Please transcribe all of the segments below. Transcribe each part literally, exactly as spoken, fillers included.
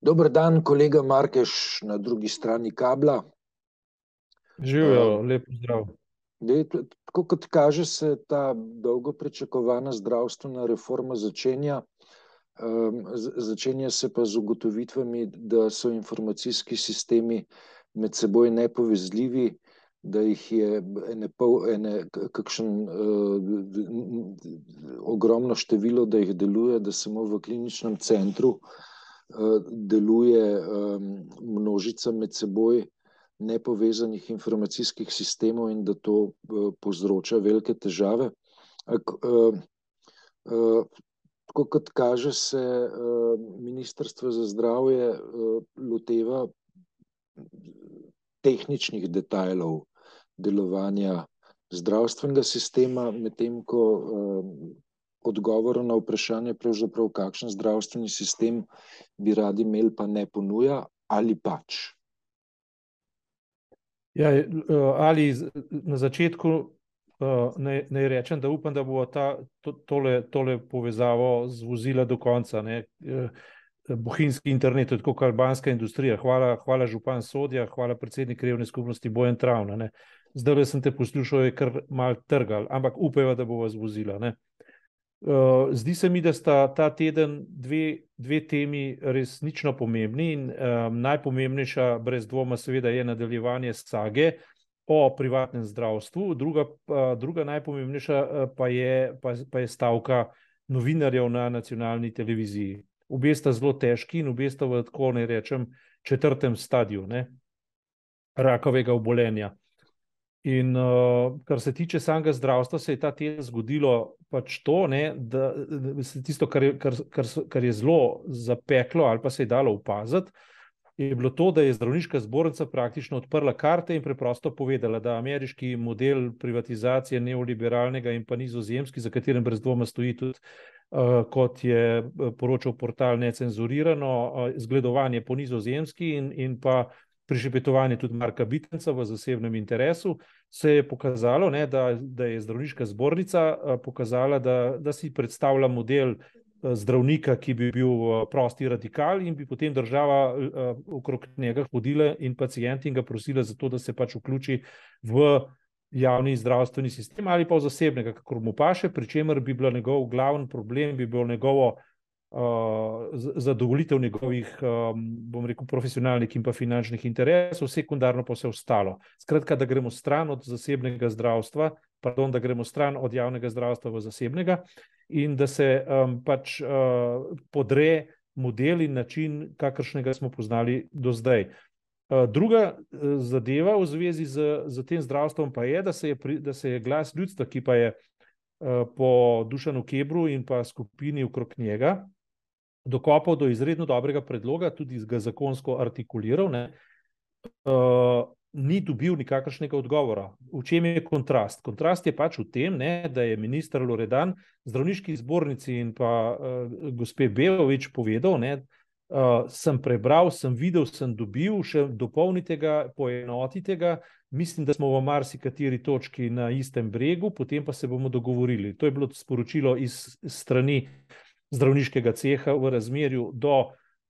Dober dan, kolega Markeš na drugi strani kabla. Živijo, lep pozdrav. Dej, tako kot kaže, se ta dolgo pričakovana zdravstvena reforma začenja. Um, začenja se pa z ugotovitvami, da so informacijski sistemi med seboj nepovezljivi, da jih je ene pol, ene, kakšen uh, ogromno število, da jih deluje, da samo v kliničnem centru uh, deluje um, množica med seboj nepovezanih informacijskih sistemov in da to uh, povzroča velike težave. Ak, uh, uh, Tako kot kaže, se uh, Ministrstvo za zdravje uh, loteva tehničnih detajlov delovanja zdravstvenega sistema, medtem ko uh, odgovor na vprašanje, pravzaprav kakšen zdravstveni sistem bi radi imeli, pa ne ponuja ali pač. Ja, ali na začetku naj, naj rečem, da upam, da bo ta, to, tole, tole povezavo zvozila do konca. Ne. Bohinjski internet, tako kot albanska industrija. Hvala, hvala župan Sodja, hvala predsednik krajevne skupnosti Bojan Travna. Ne. Zdaj sem te poslušal, je kar mal trgal, ampak upajva, da bo vas vozila. Ne. Uh, zdi se mi, da sta ta teden dve, dve temi resnično pomembni in um, najpomembnejša brez dvoma seveda je nadaljevanje sage o privatnem zdravstvu, druga, uh, druga najpomembnejša uh, pa, je, pa, pa je stavka novinarjev na nacionalni televiziji. Obe sta zelo težki in obe sta v, tako ne rečem, četrtem stadiju ne, rakavega obolenja. In uh, kar se tiče samega zdravstva, se je ta teden zgodilo pač to, ne, da, da tisto, kar je, kar, kar, kar je zelo zapeklo ali pa se je dalo opaziti, je bilo to, da je zdravniška zbornica praktično odprla karte in preprosto povedala, da ameriški model privatizacije neoliberalnega in pa nizozemski, za katerem brez dvoma stoji tudi, uh, kot je poročal portal Necenzurirano, uh, zgledovanje po nizozemski in, in pa prišepetovanje tudi Marka Bitenca v zasebnem interesu, se je pokazalo, ne, da, da je zdravniška zbornica pokazala, da, da si predstavlja model zdravnika, ki bi bil prosti radikal in bi potem država okrog njega hodila in pacienti in ga prosila za to, da se pač vključi v javni zdravstveni sistem ali pa v zasebnega, kakor mu paše, pri čemer bi bil njegov glavni problem, bi bil njegovo Uh, zadovoljitev njegovih, um, bom rekel, profesionalnih in pa finančnih interesov, sekundarno pa vse ostalo. Skratka, da gremo stran od zasebnega zdravstva, pardon, da gremo stran od javnega zdravstva v zasebnega in da se um, pač uh, podre model in način, kakršnega smo poznali do zdaj. Uh, druga uh, zadeva v zvezi z, z tem zdravstvom pa je, da se je, pri, da se je glas ljudstva, ki pa je uh, po Dušanu Kebru in pa skupini okrog njega dokopal do izredno dobrega predloga, tudi ga zakonsko artikuliral, ne, uh, ni dobil nikakršnega odgovora. V čem je kontrast? Kontrast je pač v tem, ne, da je minister Loredan zdravniški zbornici in pa uh, gospe Belovič povedal, ne, uh, sem prebral, sem videl, sem dobil, še dopolnite ga, poenotite ga, mislim, da smo v marsikateri točki na istem bregu, potem pa se bomo dogovorili. To je bilo sporočilo iz strani zdravniškega ceha v razmerju do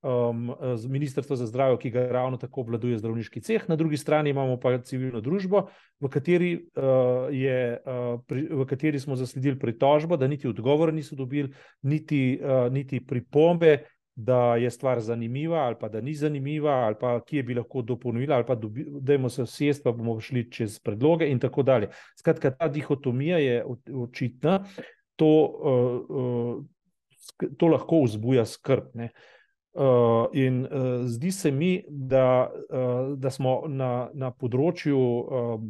um, Ministrstva za zdravje, ki ga ravno tako obvladuje zdravniški ceh. Na drugi strani imamo pa civilno družbo, v kateri, uh, je, uh, pri, v kateri smo zasledili pritožbo, da niti odgovora niso dobili, niti, uh, niti pripombe, da je stvar zanimiva ali pa da ni zanimiva ali pa kje bi lahko dopolnila ali pa dobi, dajmo se sjest, pa bomo šli čez predloge in tako dalje. Skratka, ta dihotomija je očitna, to uh, uh, to lahko vzbuja skrb. Ne. Uh, in uh, zdi se mi, da, uh, da smo na, na področju, um,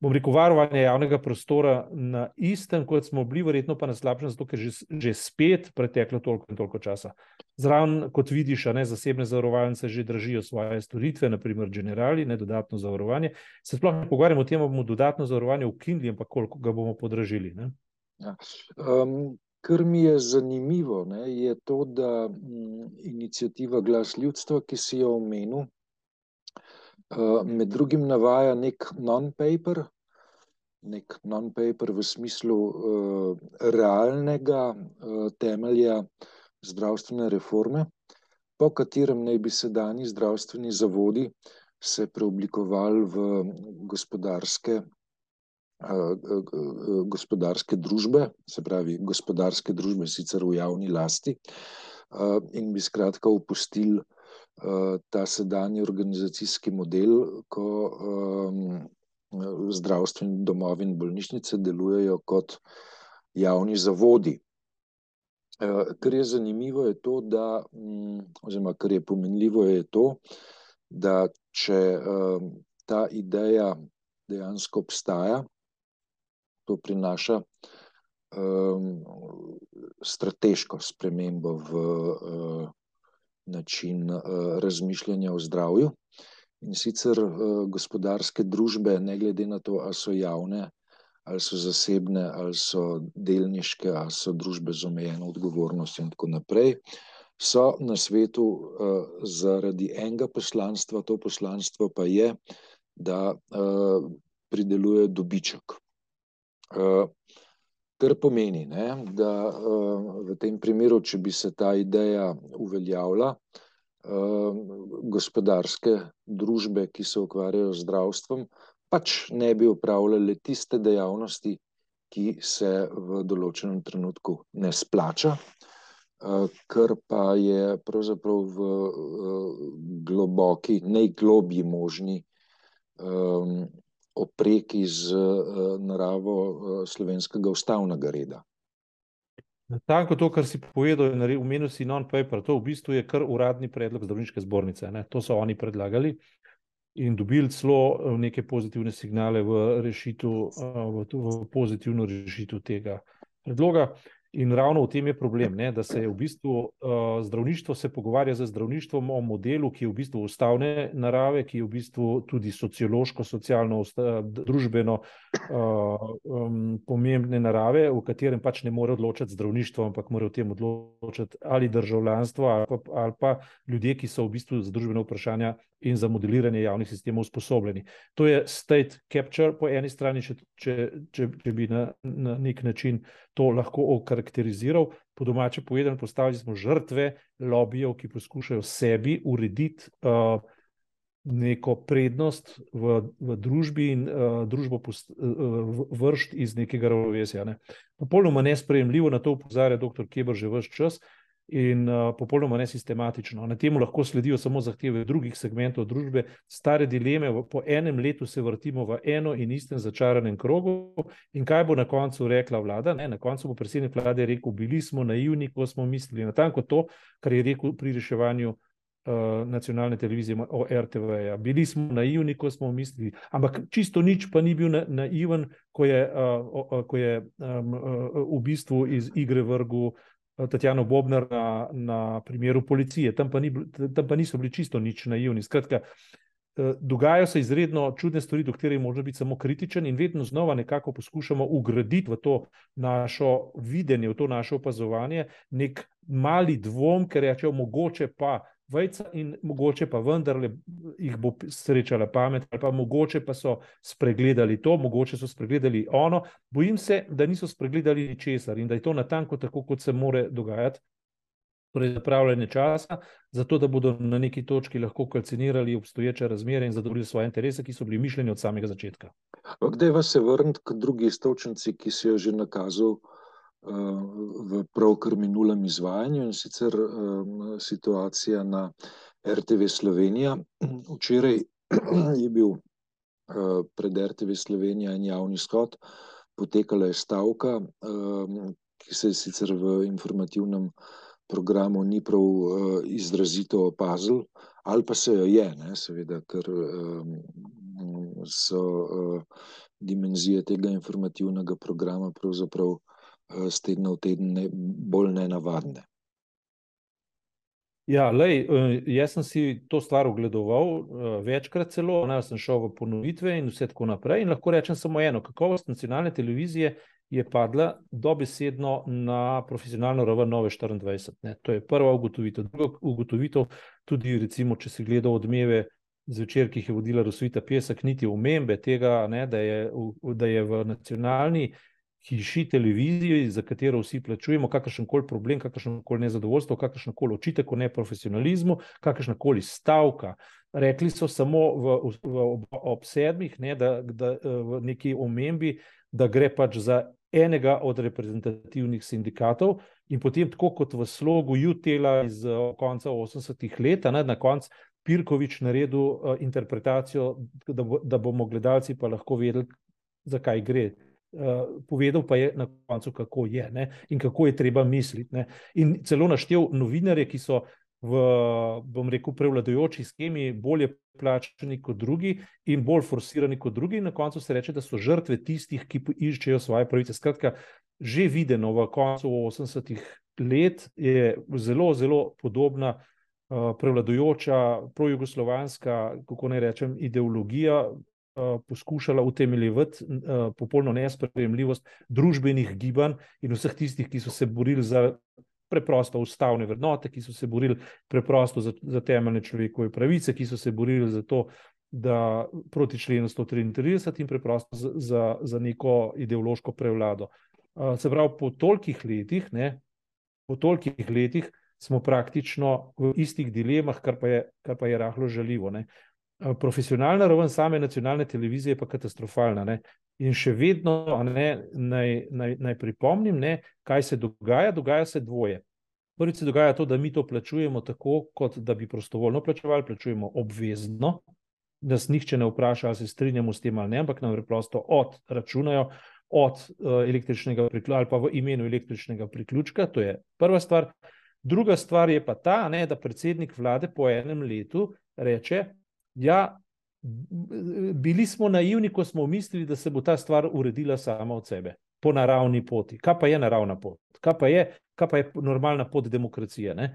bom rekel, varovanja javnega prostora na istem, kot smo bili, verjetno pa na slabšem, zato ker že, že spet preteklo toliko in toliko časa. Zraven, kot vidiš, ne, zasebne zavarovalnice že držijo svoje storitve, naprimer Generali, ne, dodatno zavarovanje. Se sploh ne pogovarjamo o tem, da bomo dodatno zavarovanje ukinili, ampak koliko ga bomo podražili. Ne. Ja. Um... Kar mi je zanimivo, ne, je to, da m, iniciativa Glas ljudstva, ki si jo omenil, uh, med drugim navaja nek non-paper, nek non-paper v smislu uh, realnega uh, temelja zdravstvene reforme, po katerem naj bi sedanji zdravstveni zavodi se preoblikovali v gospodarske, gospodarske družbe, se pravi gospodarske družbe sicer v javni lasti, in bi skratka opustili ta sedanji organizacijski model, ko zdravstveni domovi in bolnišnice delujejo kot javni zavodi. Kar je zanimivo je to, da, oziroma kar je pomenljivo je to, da če ta ideja dejansko obstaja, to prinaša strateško spremembo v način razmišljanja o zdravju. In sicer gospodarske družbe, ne glede na to, ali so javne, ali so zasebne, ali so delniške, ali so družbe z omejeno odgovornostjo in tako naprej, so na svetu zaradi enega poslanstva, to poslanstvo pa je, da prideluje dobiček. Kar pomeni, ne, da v tem primeru, če bi se ta ideja uveljavila, gospodarske družbe, ki se ukvarjajo z zdravstvom, pač ne bi opravljale tiste dejavnosti, ki se v določenem trenutku ne splača, kar pa je pravzaprav v globoki, najglobji možni opreki z naravo slovenskega ustavnega reda. Tako to, kar si povedal, omenil si non-paper, to v bistvu je kar uradni predlog zdravniške zbornice, ne? To so oni predlagali in dobili celo neke pozitivne signale v rešitev, v, v pozitivno rešitev tega predloga. In ravno v tem je problem, ne, da se je v bistvu uh, zdravništvo se pogovarja z zdravništvom o modelu, ki je v bistvu ustavne narave, ki je v bistvu tudi sociološko, socialno, družbeno uh, um, pomembne narave, v katerem pač ne more odločati zdravništvo, ampak mora v tem odločati ali državljanstvo ali pa, ali pa ljudje, ki so v bistvu za družbene vprašanja in za modeliranje javnih sistemov usposobljeni. To je state capture po eni strani, če, če, če, če bi na, na nek način to lahko okarakteriziral. Po domače povedano, postavili smo žrtve lobijev, ki poskušajo sebi urediti uh, neko prednost v, v družbi in uh, družbo post, uh, vršt iz nekega ravnovesja. Ne. Popolnoma nesprejemljivo, na to opozarja doktor Keber že ves čas, in uh, popolnoma nesistematično. Na temu lahko sledijo samo zahteve drugih segmentov družbe, stare dileme, po enem letu se vrtimo v eno in istem začaranem krogu in kaj bo na koncu rekla vlada? Ne, na koncu bo predsednik vlade rekel, bili smo naivni, ko smo mislili, natanko to, kar je rekel pri reševanju uh, nacionalne televizije o er te ve-ja. Bili smo naivni, ko smo mislili, ampak čisto nič pa ni bil na, naiven, ko je, uh, ko je um, uh, v bistvu iz igre vrgu Tatjano Bobnar na, na primeru policije. Tam pa, ni, tam pa niso bili čisto nič naivni. Skratka, dogajajo se izredno čudne stvari, do katerih je možno biti samo kritičen in vedno znova nekako poskušamo ugraditi v to našo videnje, v to naše opazovanje nek mali dvom, ker rečejo, mogoče pa vejca in mogoče pa vendarle jih bo srečala pamet, ali pa mogoče pa so spregledali to, mogoče so spregledali ono. Bojim se, da niso spregledali ničesar in da je to natanko tako, kot se more dogajati, torej zapravljanje časa, zato da bodo na neki točki lahko kalcinirali obstoječe razmere in zadovoljili svoje interese, ki so bili mišljeni od samega začetka. Kdaj vas se vrniti k drugi iztočnici, ki si jo že nakazal v pravkar minulem izvajanju, in sicer um, situacija na er te ve Slovenija. Včeraj je bil uh, pred er te ve Slovenija en javni shod, potekala je stavka, um, ki se je sicer v informativnem programu ni prav uh, izrazito opazil, ali pa se jo je, ne, seveda, ker um, so uh, dimenzije tega informativnega programa pravzaprav z tedna v teden ne, bolj nenavadne. Ja, lej, jaz sem si to stvar ogledoval večkrat celo, ne, sem šel v ponovitve in vse tako naprej in lahko rečem samo eno, kakovost nacionalne televizije je padla dobesedno na profesionalno raven Nove štiriindvajset. Ne. To je prva ugotovitev. Druga ugotovitev, tudi recimo, če si gledal Odmeve zvečer, ki jih je vodila Rosvita Pesek, niti omembe tega, ne, da je, da je v nacionalni hiši, televiziji, za katero vsi plačujemo, kakršenkoli problem, kakršnokoli nezadovoljstvo, kakršnokoli očitek o neprofesionalizmu, kakršnakoli stavka. Rekli so samo v, v, ob, ob sedmih, ne, da, da v neki omembi, da gre pač za enega od reprezentativnih sindikatov in potem tako kot v slogu Jutela iz konca osemdesetih let, ne, na koncu Pirkovič naredil uh, interpretacijo, da, bo, da bomo gledalci pa lahko vedeli, zakaj gre. Uh, povedal pa je na koncu, kako je, ne, in kako je treba misliti. Ne. In celo naštel novinarje, ki so v, bom rekel, prevladujoči skemi bolje plačani kot drugi in bolj forsirani kot drugi. In na koncu se reče, da so žrtve tistih, ki iščejo svoje pravice. Skratka, že videno v koncu osemdesetih let je zelo, zelo podobna uh, prevladujoča projugoslovanska, kako naj rečem, ideologija uh, poskušala utemeljevati uh, popolno nesprejemljivost družbenih gibanj in vseh tistih, ki so se borili za preprosto ustavne vrednote, ki so se borili preprosto za, za temeljne človekove pravice, ki so se borili za to, da proti členu sto triintrideset in preprosto za, za, za neko ideološko prevlado. Uh, se pravi, po tolikih letih, ne, po tolikih letih smo praktično v istih dilemah, kar pa je, kar pa je rahlo žaljivo. Ne. Uh, profesionalna raven same nacionalne televizije je pa katastrofalna. Ne. In še vedno ne, naj, naj, naj pripomnim, ne, kaj se dogaja. Dogaja se dvoje. Prvič se dogaja to, da mi to plačujemo tako, kot da bi prostovoljno plačevali, plačujemo obvezno, da nas nihče ne vpraša, ali se strinjamo s tem ali ne, ampak nam preprosto odračunajo od uh, električnega priključka ali pa v imenu električnega priključka. To je prva stvar. Druga stvar je pa ta, ne, da predsednik vlade po enem letu reče, ja, bili smo naivni, ko smo mislili, da se bo ta stvar uredila sama od sebe, po naravni poti. Kaj pa je naravna pot? Kaj pa je, kaj pa je normalna pot demokracije? Ne?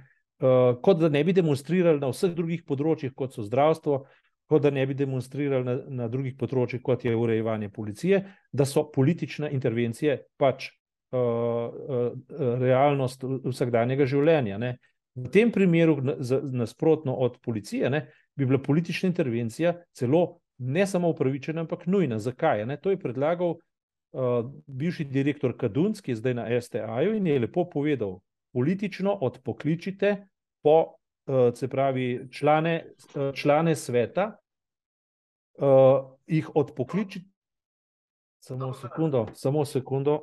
Uh, kot da ne bi demonstrirali na vseh drugih področjih, kot so zdravstvo, kot da ne bi demonstrirali na, na drugih področjih, kot je urejevanje policije, da so politične intervencije pač uh, uh, realnost vsakdanjega življenja. Ne? V tem primeru, nasprotno od policije, ne, bi bila politična intervencija celo ne samo upravičena, ampak nujna. Zakaj? Ne? To je predlagal uh, bivši direktor Kadunc, ki je zdaj na S T A-ju in je lepo povedal, politično odpokličite po, uh, se pravi, člane, uh, člane sveta, uh, jih odpokličite, samo sekundo, samo sekundo,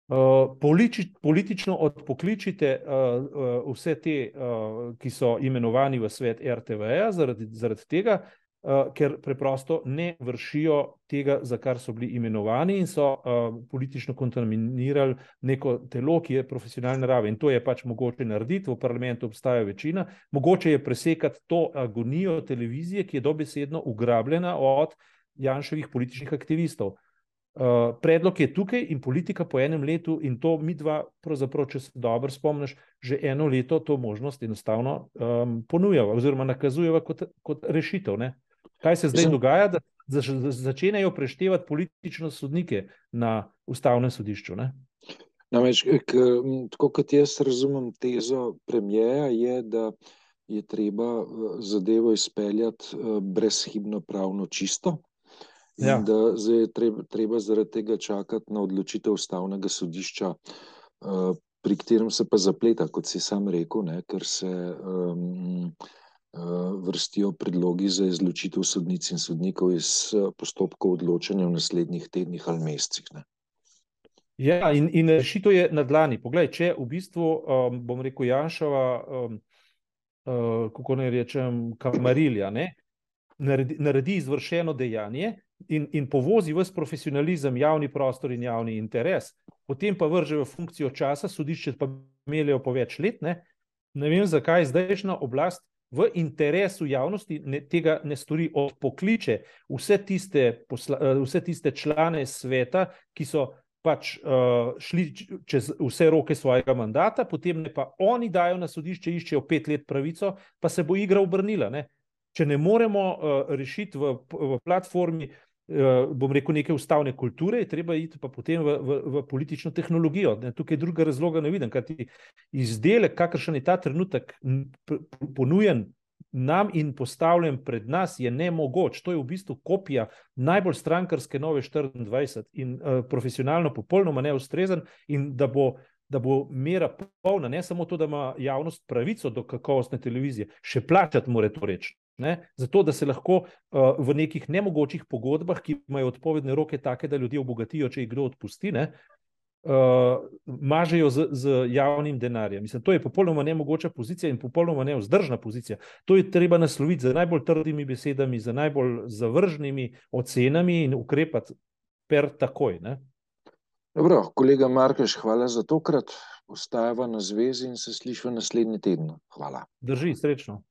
Uh, politič, politično odpokličite uh, uh, vse te, uh, ki so imenovani v svet R T V-ja zaradi, zaradi tega, uh, ker preprosto ne vršijo tega, za kar so bili imenovani in so uh, politično kontaminirali neko telo, ki je profesionalne narave. In to je pač mogoče narediti, v parlamentu obstaja večina, mogoče je presekati to agonijo televizije, ki je dobesedno ugrabljena od Janševih političnih aktivistov. Uh, predlog je tukaj in politika po enem letu in to mi dva, pravzaprav, če se dobro spomniš, že eno leto to možnost enostavno um, ponujava oziroma nakazujeva kot, kot rešitev. Ne? Kaj se zdaj Zem... dogaja, da zač, začenjajo preštevati politično sodnike na ustavnem sodišču? Ne? Namreč, tako kot jaz razumem tezo premijeja, je, da je treba zadevo izpeljati brezhibno pravno čisto. In ja. Da zdaj je treba, treba zaradi tega čakati na odločitev ustavnega sodišča, uh, pri katerem se pa zapleta, kot si sam rekel, ne, ker se um, uh, vrstijo predlogi za izločitev sodnic in sodnikov iz postopkov odločanja v naslednjih tednih ali mesecih. Ne. Ja, in, in rešitev je na dlani. Poglej, če v bistvu, um, bom rekel, Janševa, um, uh, kako naj rečem, kamarilja, ne, naredi, naredi izvršeno dejanje, In, in povozi ves profesionalizem, javni prostor in javni interes, potem pa vrže v funkcijo časa, sodišče pa meljejo po več let, ne, ne vem, zakaj zdajšnja oblast v interesu javnosti ne, tega ne stori, odpokliče vse tiste, posla, vse tiste člane sveta, ki so pač uh, šli čez vse roke svojega mandata, potem ne pa oni dajo na sodišče, iščejo pet let pravico, pa se bo igra obrnila. Ne. Če ne moremo uh, rešiti v, v platformi, bom rekel, neke ustavne kulture, je treba iti pa potem v, v, v politično tehnologijo. Ne, tukaj druga razloga ne vidim, kajti izdelek, kakršen je ta trenutek ponujen nam in postavljen pred nas je nemogoč. To je v bistvu kopija najbolj strankarske Nove štiriindvajset in uh, profesionalno popolnoma neustrezen in da bo, da bo mera polna, ne samo to, da ima javnost pravico do kakovostne televizije, še plačati mora to reči. Ne? Zato, da se lahko uh, v nekih nemogočih pogodbah, ki imajo odpovedne roke take, da ljudje obogatijo, če jih kdo odpusti, ne? Uh, mažejo z, z javnim denarjem. Mislim, to je popolnoma nemogoča pozicija in popolnoma nevzdržna pozicija. To je treba nasloviti z najbolj trdimi besedami, z najbolj zavržnimi ocenami in ukrepati per takoj. Ne? Dobro, kolega Markeš, hvala za tokrat. Ostajava na zvezi in se slišva naslednji teden. Hvala. Drži, srečno.